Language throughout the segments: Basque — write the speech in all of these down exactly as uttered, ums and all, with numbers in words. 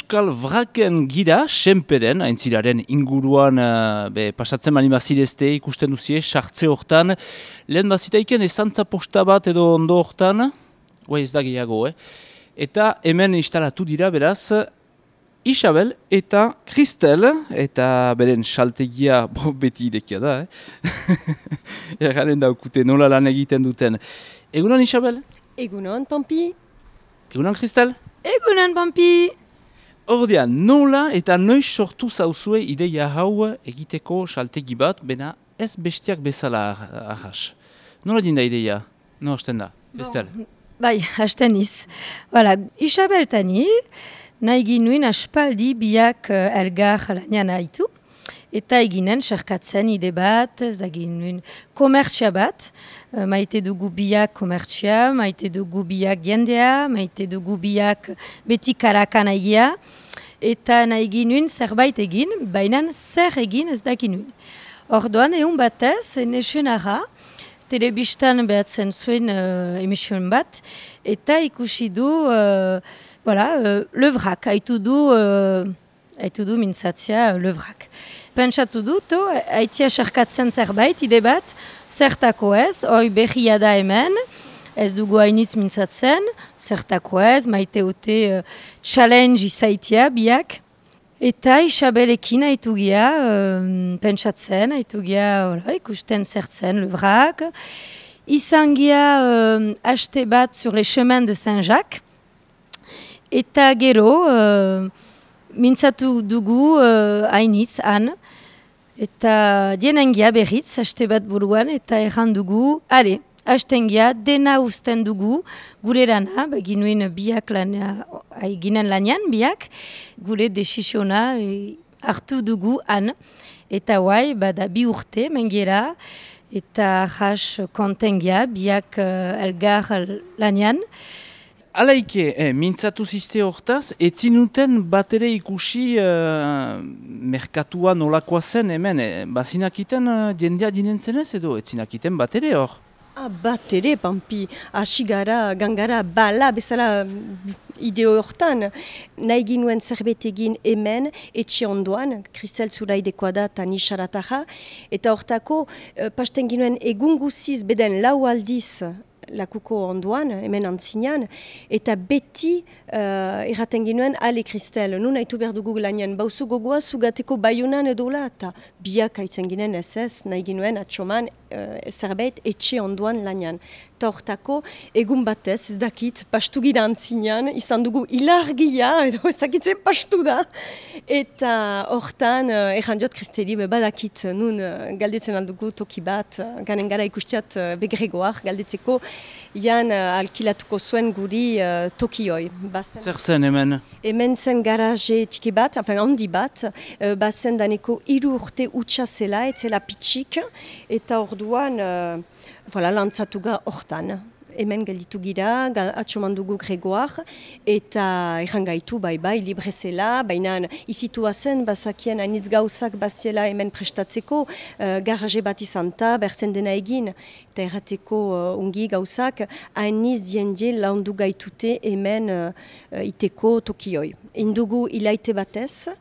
Euskal Vraken gira, senperen, aintzilaren inguruan uh, be, pasatzen mali mazirezte ikusten duzie, sartze hortan. Lehen bazitaiken ezantza posta bat edo ondo hortan, guai ez da gehiago, eh? Eta hemen instalatu dira beraz, Isabel eta Kristel, eta beren saltegia bo, beti idekia da, eh? Ergaren daukute nola lan egiten duten. Egunon Isabel? Egunon Pampi? Egunon Kristel? Egunon Pampi! Ordean, nola eta noiz sortu zauzue ideia hau egiteko saltegi bat, bena ez bestiak bezala ahas. Nola dinda ideia? No hasten da, Kristel? Bon. Bai, hasten iz. Voilà, Isabel tani, nahi ginuen aspaldi biak uh, elgar lanian haitu, eta eginen sarkatzen ide bat, ez da ginuen komertsia bat, uh, maite dugu biak komertsia, maite dugu biak jendea, maite dugu biak beti karakan egia, eta nahi ginuen zerbait egin, baina zer egin ez da ginuen. Orduan, egun batez, nesen ara, telebistan behatzen zuen uh, emission bat, eta ikusi du, uh, voilà, uh, le vrak, haitu du, uh, haitu du mintzatzia uh, le vrak. Pentsatu du, to, haitia sarkatzen zerbait, ide bat, zertako ez, hoi berria da hemen, ez dugu hainitz mintzatzen, zertako ez, maite ote uh, challenge izaitia biak, eta Isabelekin haitu gira, uh, pentsatzen, haitu gira, ikusten zertzen, le vrak. Izan gira uh, haste bat sur les chemins de Saint-Jacques. Eta gero, uh, mintzatu dugu uh, hainitz, han. Eta dienen gira berriz, haste bat buruan, eta erran dugu, ale, hasten gira, dena usten dugu, gure lana, ginuen biak lana, ginen lanian biak, gure desisiona e, hartu dugu han. Eta guai, bada bi urte, mengera, eta jas kontengia, biak uh, elgar lanian. Alaike, eh, mintzatu ziste hortaz, etzinuten bat ere ikusi uh, merkatua nolakoa zen hemen, eh, bazinakiten uh, jendea dinen zenez edo, etzinakiten bat ere hor? Ah, bat ere, Pampi, hasi gara, gangara, bala, bezala ideo hortan. Nahi ginuen zerbait egin hemen, etxe ondoan, Kristel Zuraidekoa da eta ni Sarataja. Eta hortako, eh, pasten ginuen egun guziz, beden lau aldiz, lakuko ondoan, hemen antzinean, eta beti uh, erraten ginuen, ale Kristel, nun haitu behar dugu lanian, bauzu gogoa zugateko baiunan edola, eta biak haitzen ginen ez ez, nahi ginuen atxoman uh, zerbait etxe ondoan lanian. Eta hortako, egun batez, ez dakit, pastu gira antzinean, izan dugu hilargia, edo ez dakit zen pastu da. Eta hortan, uh, erran diot Kristeli, badakit, nun uh, galdetzen aldugu toki bat, uh, ganen gara ikustiat uh, begregoak, galdetzeko, Jan uh, alkilatuko zuen guri uh, tokioi. Bazen, Zer zen hemen? Hemen zen garaje tiki bat, enfin handi bat, uh, bazen daneko hiru urte utxa zela, etzela pitxik, eta orduan uh, voilà, lantzatu ga hortan. Hemen gelditu gira, atxoman dugu gregoak, eta errangaitu bai bai, libre zela, baina izitua zen, bazakien hainitz gauzak baziela hemen prestatzeko, uh, garaje bat izan ta, berzen dena egin, eta errateko uh, ungi gauzak, hainitz diendie laundu gaitute hemen uh, iteko tokioi. Indugu ilaite batez,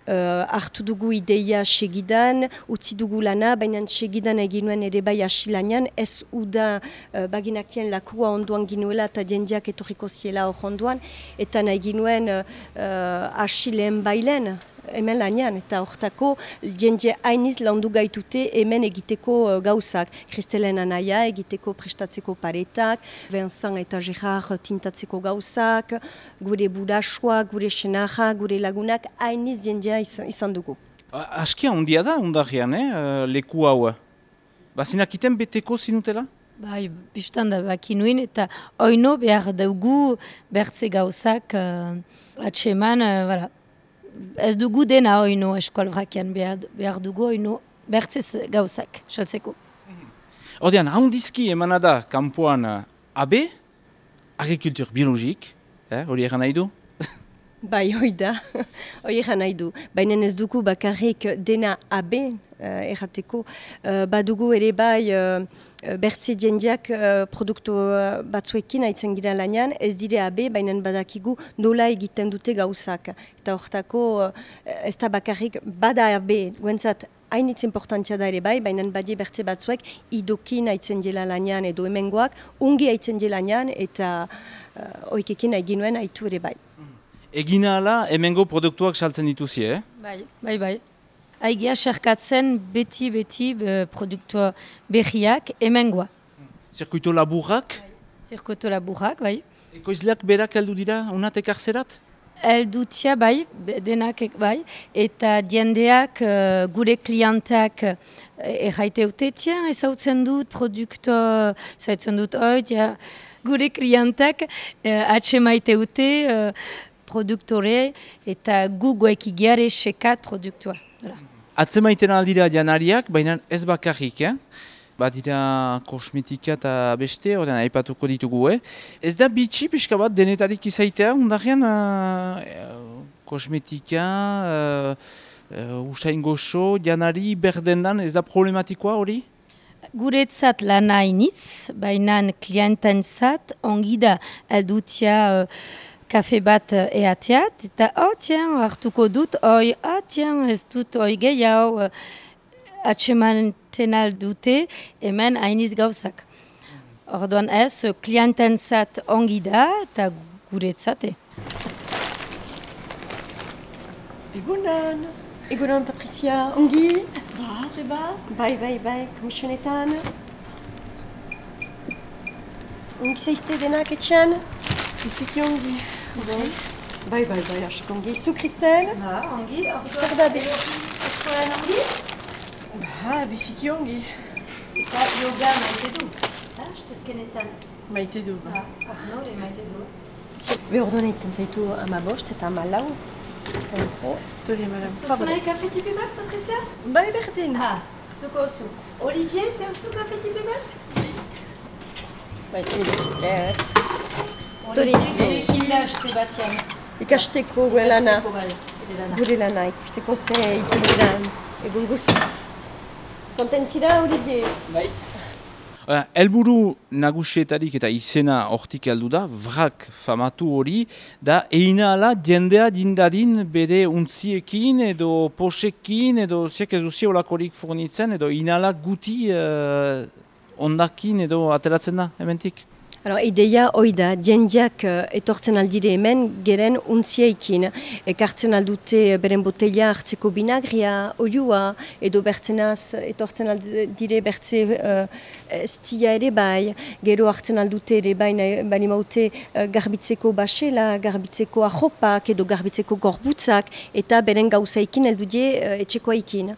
Uh, hartu dugu ideia segidan, utzi dugu lana, baina segidan eginuen ere bai asilanean, ez uda uh, baginakien lakua onduan ginuela eta jendeak etorriko ziela hor onduan, eta nahi ginuen uh, uh, asileen bailen, hemen lanean, eta hortako jende hainiz laundu gaitute hemen egiteko uh, gauzak. Kristelen anaia egiteko prestatzeko paretak, Vincent eta Gerard tintatzeko gauzak, gure burasua, gure senaja, gure lagunak, hainiz jendea izan, izan dugu. Askia ondia da, ondarrian, eh, leku hau. Bazinakiten beteko zinutela? Bai, biztan da bakinuen, eta oino behar dugu bertze gauzak uh, atseman, uh, voilà. Ez dugu dena oino eskol vrakian, behar, behar dugu oino bertzez gauzak, saltzeko. Ordean, haundizki emana da, kanpoan A B, agrikultur biologik, hori eh, egan nahi du? Bai, hoi da, hoi egan nahi du. Baina ez dugu bakarrik dena abe, uh, errateko, uh, badugu ere bai uh, bertze jendeak uh, produktu uh, batzuekin haitzen gira lanean, ez dire abe, baina badakigu nola egiten dute gauzak. Eta hortako uh, ez da bakarrik bada abe, guentzat hainitz importantzia da ere bai, baina badie bertze batzuek idokin haitzen dela lanean edo hemengoak, ungi haitzen dela lanean eta uh, oikekin haigin nuen haitu ere bai. Egina ala, hemengo produktuak saltzen dituzie, eh? Bai, bai, bai. Aigia xerkatzen beti-beti produktua berriak hemengoa. Zirkuito laburrak? Zirkuito laburrak, bai. Ekoizleak berak heldu dira, unat ekartzerat? Heldutia, bai, denak bai. Eta jendeak, uh, gure klientak uh, erraite ute, tien, ezautzen dut produktua, ezautzen dut hoi, ja, gure klientak uh, atse maite ute, uh, produktore eta gugoek igiare sekat produktua. Atzemaiten aldira janariak, baina ez bakarrik, eh? Badira kosmetika eta beste, horren aipatuko ditugu, eh? Ez da bitxi pixka bat denetarik izaitea, undarrean uh, kosmetika, uh, uh, usain goxo, janari berdendan, ez da problematikoa hori? Guretzat lana hainitz, baina kliententzat ongi da aldutia uh, kafe bat eateat, eta oh, tien, hartuko dut, oi, ah, tien, ez dut, oi, gehiago, atsemanten aldute, hemen hainiz gauzak. Orduan ez, kliententzat ongi da, eta guretzate. Egunon, egunon, Patricia, ongi? Ba, reba? Bai, bai, bai, komisionetan. Ongi zaizte denak etxean? Biziki ongi. Bai, bai, bai, bai, asko ongi. Zu, Kristel? Ba, ongi. Zer da be? Eskolan ongi? Ba, biziki ongi. Eta yoga maite du. Ha, estezkenetan. Maite du, ba. Ba, arnore maite du. Be orduan egiten zaitu ama bost eta ama lau. Entro. Dori ama lau. Ez duzu nahi kafe tipi bat, Patricia? Bai, berdin. Ha, hartuko zu. Olivier, teuzu kafe tipi bat? Bai, esker. Olivier, gila haste batien. Ikasteko gure lana. Ikasteko bai, gure lana, ikusteko ze itzen diran. Egun guziz. Kontentzira, Olivier? Bai. Uh, elburu nagusietarik eta izena hortik heldu da, vrak famatu hori, da eina ala jendea dindadin bere untziekin edo posekin edo ziak ez duzi olakorik fornitzen edo inala guti uh, ondakin edo ateratzen da, hementik? Alors, ideia hoi da, jendeak uh, etortzen aldire hemen geren untziekin. Ekartzen aldute beren botella hartzeko binagria, oiua, edo bertzenaz etortzen aldire bertze uh, stia ere bai, gero hartzen aldute ere bai, bani maute uh, garbitzeko basela, garbitzeko ahopak edo garbitzeko gorbutzak, eta beren gauzaikin eldudie uh, etxekoaikin.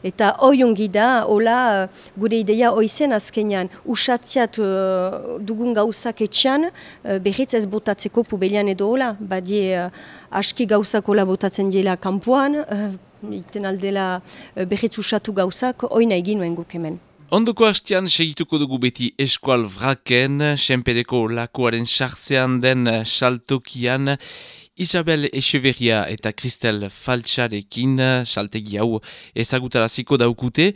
Eta hoi ongi da, hola, gure ideia hoizen azkenean, usatziat uh, dugun gauzak etxean, uh, berriz ez botatzeko pubelian edo hola, badie uh, aski gauzak hola botatzen dela kanpoan, uh, iten aldela uh, berriz usatu gauzak, hoina egin nuen guk hemen. Ondoko hastean segituko dugu beti eskual vraken, senpereko lakoaren sartzean den saltokian, Isabel Echeverria eta Kristel Faltxarekin saltegi hau ezagutaraziko daukute.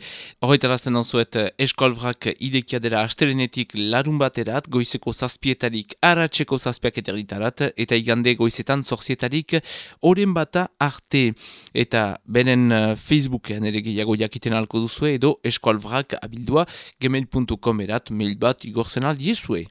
Horretarazten onzuet eskolvrak idekia dela astelenetik larun baterat, goizeko zazpietarik aratzeko zazpiak eterditarat, eta igande goizetan zorzietarik oren bata arte. Eta beren Facebooken ere gehiago jakiten alko duzue, edo eskolvrak abildua gmail puntu com erat mail bat igorzen aldiezue.